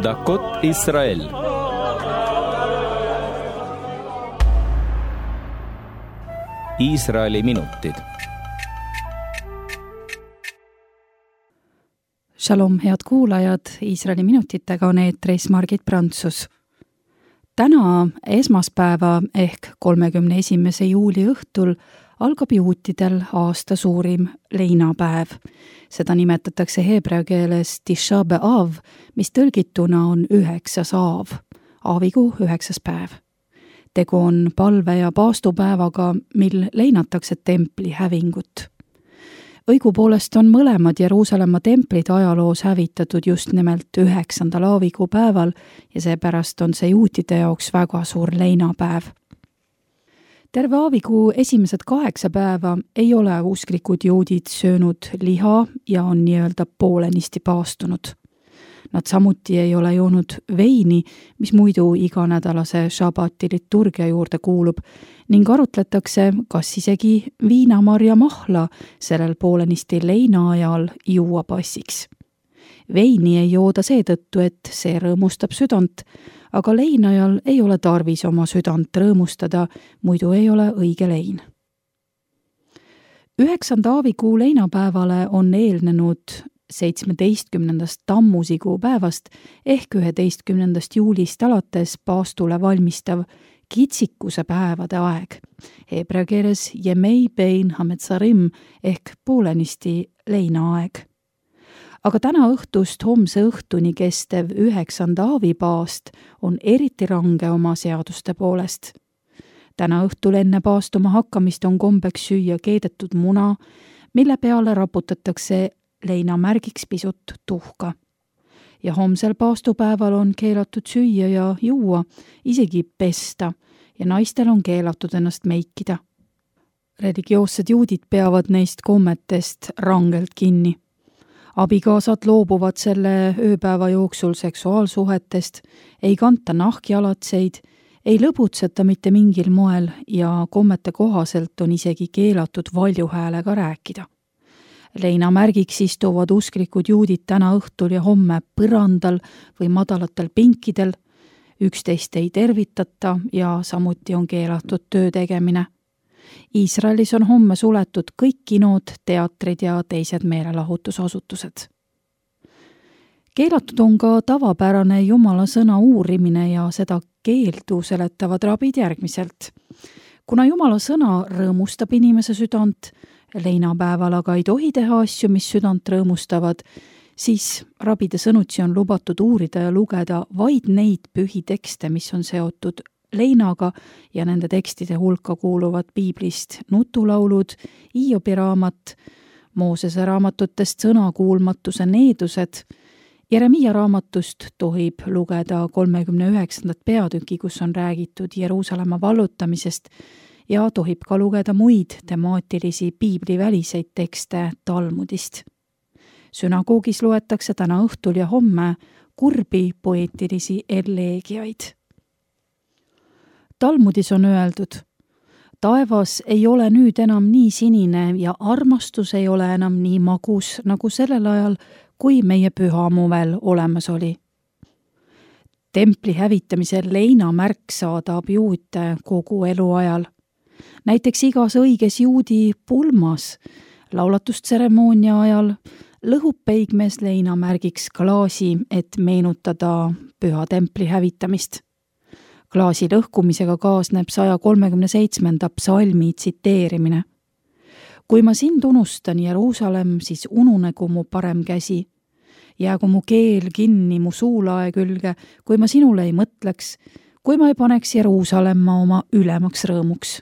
דקות ישראל. Iisraeli minutid. Shalom, head kuulajad, Iisraeli minutitega on eetris Margit Prantsus. Täna esmaspäeva ehk 31. juuli õhtul algab juutidel aasta suurim leinapäev. Seda nimetatakse heebrea keeles Tisha B'Av, mis tõlgituna on 9. aav, aavikuu 9. päev. Tegu on palve- ja paastupäevaga, mil leinatakse templi hävingut. Õigupoolest on mõlemad Jeruusalemma templid ajaloos hävitatud just nimelt 9. aavikuu päeval ja seepärast on see juutide jaoks väga suur leinapäev. Terve aavikuu esimesed 8 päeva ei ole usklikud juudid söönud liha ja on nii-öelda poolenisti paastunud. Nad samuti ei ole joonud veini, mis muidu iganädalase šabati liturgia juurde kuulub, ning arutletakse, kas isegi viinamarja mahla sellel poolenisti leina ajal juua passiks. Veini ei jooda seetõttu, et see rõõmustab südant, aga leina ajal ei ole tarvis oma südant rõõmustada, muidu ei ole õige lein. 9. aavikuu leinapäevale on eelnenud 17. tammusikuu päevast ehk 11. juulist alates paastule valmistav kitsikuse päevade aeg, heebrea keeles Yemei Bein Hametzarim ehk poolenisti leinaaeg. Aga täna õhtust homse õhtuni kestev 9. aavipaast on eriti range oma seaduste poolest. Täna õhtul enne paastuma hakkamist on kombeks süüa keedetud muna, mille peale raputatakse leina märgiks pisut tuhka. Ja homsel paastupäeval on keelatud süüa ja juua, isegi pesta, ja naistel on keelatud ennast meikida. Religioossed juudid peavad neist kommetest rangelt kinni. Abikaasad loobuvad selle ööpäeva jooksul seksuaalsuhetest, ei kanta nahkjalatseid, ei lõbutseta mitte mingil moel ja kommete kohaselt on isegi keelatud valjuhäälega rääkida. Leina märgiks istuvad usklikud juudid täna õhtul ja homme põrandal või madalatel pinkidel, üksteist ei tervitata ja samuti on keelatud töö tegemine. Iisraelis on homme suletud kõik kinod, teatrid ja teised meelelahutusasutused. Keelatud on ka tavapärane Jumala sõna uurimine ja seda keeldu seletavad rabid järgmiselt. Kuna Jumala sõna rõõmustab inimese südant, leinapäeval aga ei tohi teha asju, mis südant rõõmustavad, siis rabide sõnutsi on lubatud uurida ja lugeda vaid neid pühi tekste, mis on seotud leinaga ja nende tekstide hulka kuuluvad piiblist nutulaulud, Hiobi raamat, Moosese raamatutest sõnakuulmatuse needused, Jeremiia raamatust tohib lugeda 39. peatüki, kus on räägitud Jeruusalemma vallutamisest, ja tohib ka lugeda muid temaatilisi piibliväliseid tekste Talmudist. Sünagoogis loetakse täna õhtul ja homme kurbi poeetilisi eleegiaid. Talmudis on öeldud: taevas ei ole nüüd enam nii sinine ja armastus ei ole enam nii magus, nagu sellel ajal, kui meie pühamu veel olemas oli. Templi hävitamisel leina märk saadab juute kogu eluajal. Näiteks igas õiges juudi pulmas laulatustseremoonia ajal lõhub peigmees leina märgiks klaasi, et meenutada püha templi hävitamist. Klaasi lõhkumisega kaasneb 137. psalmi tsiteerimine. Kui ma sind unustan, Jeruusalemm, siis ununegu mu parem käsi. Jäägu mu keel kinni mu suulae külge, kui ma sinule ei mõtleks, kui ma ei paneks Jeruusalemma oma ülemaks rõõmuks.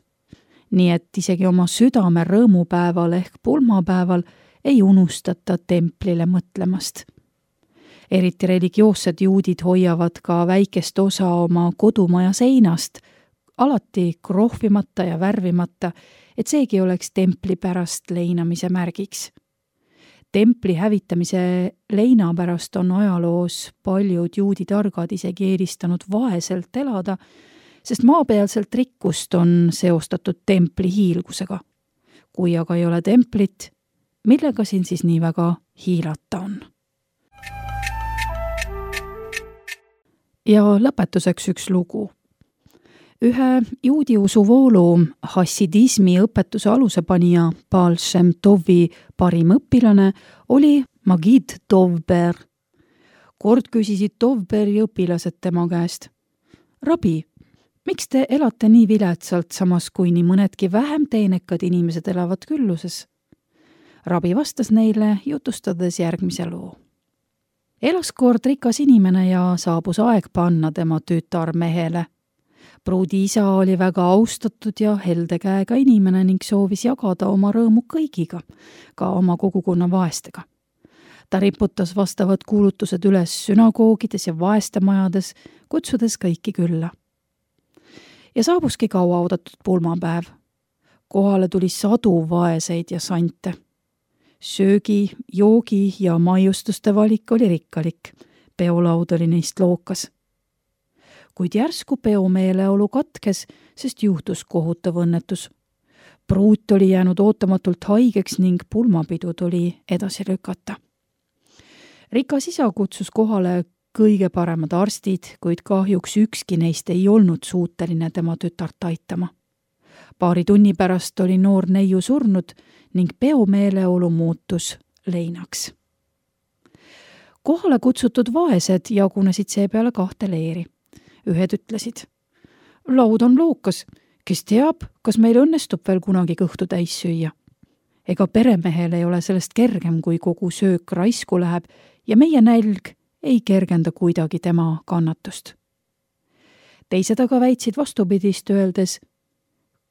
Nii et isegi oma südame rõõmupäeval ehk pulmapäeval ei unustata templile mõtlemast. Eriti religioossed juudid hoiavad ka väikest osa oma kodumaja seinast, alati krohvimata ja värvimata, et seegi oleks templi pärast leinamise märgiks. Templi hävitamise leina pärast on ajaloos paljud juudi targad isegi eelistanud vaeselt elada, sest maapealselt rikkust on seostatud templi hiilgusega. Kui aga ei ole templit, millega siin siis nii väga hiilata on? Ja lõpetuseks üks lugu. Ühe juudi usuvoolu hassidismi õpetuse alusepanija Baal Shem Tovi parim õpilane oli Magid Dovber. Kord küsisid Dovberi õpilased tema käest: Rabi, miks te elate nii viletsalt, samas kui nii mõnedki vähem teenekad inimesed elavad külluses? Rabi vastas neile, jutustades järgmise loo. Elas kord rikas inimene ja saabus aeg panna tema tütar mehele. Pruudi isa oli väga austatud ja helde käega inimene ning soovis jagada oma rõõmu kõigiga, ka oma kogukonna vaestega. Ta riputas vastavad kuulutused üles sünagoogides ja vaestemajades, kutsudes kõiki külla. Ja saabuski kauaoodatud pulmapäev. Kohale tuli sadu vaeseid ja sante. Söögi, joogi ja maiustuste valik oli rikkalik. Peolaud oli neist lookas. Kuid järsku peomeeleolu katkes, sest juhtus kohutav õnnetus. Pruut oli jäänud ootamatult haigeks ning pulmapidu tuli edasi lükata. Rikas isa kutsus kohale kõige paremad arstid, kuid kahjuks ükski neist ei olnud suuteline tema tütart aitama. Paari tunni pärast oli noor neiu surnud ning peomeeleolu muutus leinaks. Kohale kutsutud vaesed jagunesid seepeale 2 leeri. Ühed ütlesid: laud on lookas, kes teab, kas meil õnnestub veel kunagi kõhtu täis süüa. Ega peremehel ei ole sellest kergem, kui kogu söök raisku läheb ja meie nälg ei kergenda kuidagi tema kannatust. Teised aga väitsid vastupidist, öeldes: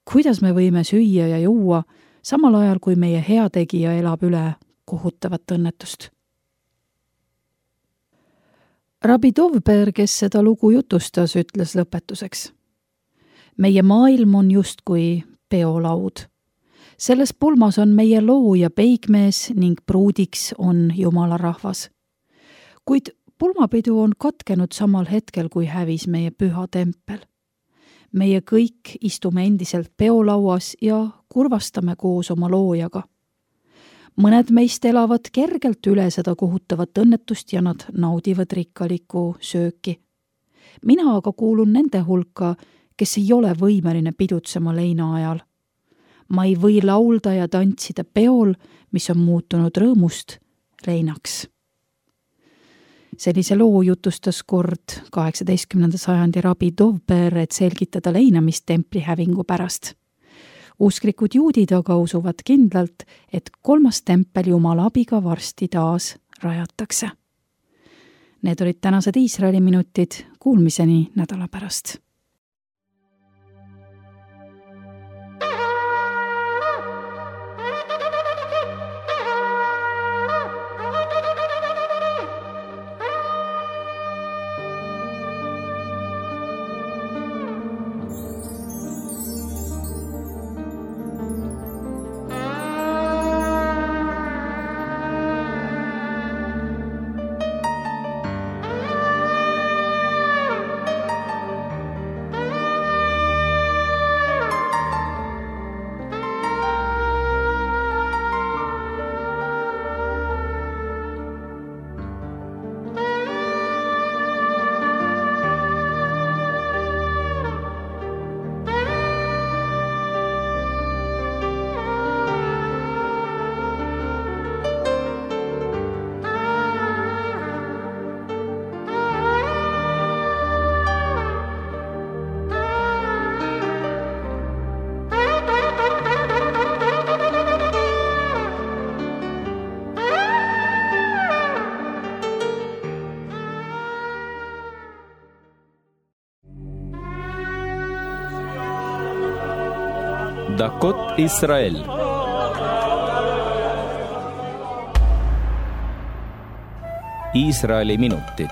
kuidas me võime süüa ja juua, samal ajal kui meie heategija elab üle kohutavat õnnetust. Rabbi Dovber, kes seda lugu jutustas, ütles lõpetuseks: meie maailm on justkui peolaud. Selles pulmas on meie looja peigmees ning pruudiks on Jumala rahvas. Kuid pulmapidu on katkenud samal hetkel, kui hävis meie püha tempel. Meie kõik istume endiselt peolauas ja kurvastame koos oma loojaga. Mõned meist elavad kergelt üle seda kohutavat õnnetust ja nad naudivad rikkalikku sööki. Mina aga kuulun nende hulka, kes ei ole võimeline pidutsema leina ajal. Ma ei või laulda ja tantsida peol, mis on muutunud rõõmust leinaks. Sellise loo jutustas kord 18. sajandi Rabbi Dovber, et selgitada leinamist templi hävingu pärast. Usklikud juudid aga usuvad kindlalt, et 3. tempel Jumala abiga varsti taas rajatakse. Need olid tänased Iisraeli minutid, kuulmiseni nädala pärast. דקות ישראל. Iisraeli minutid.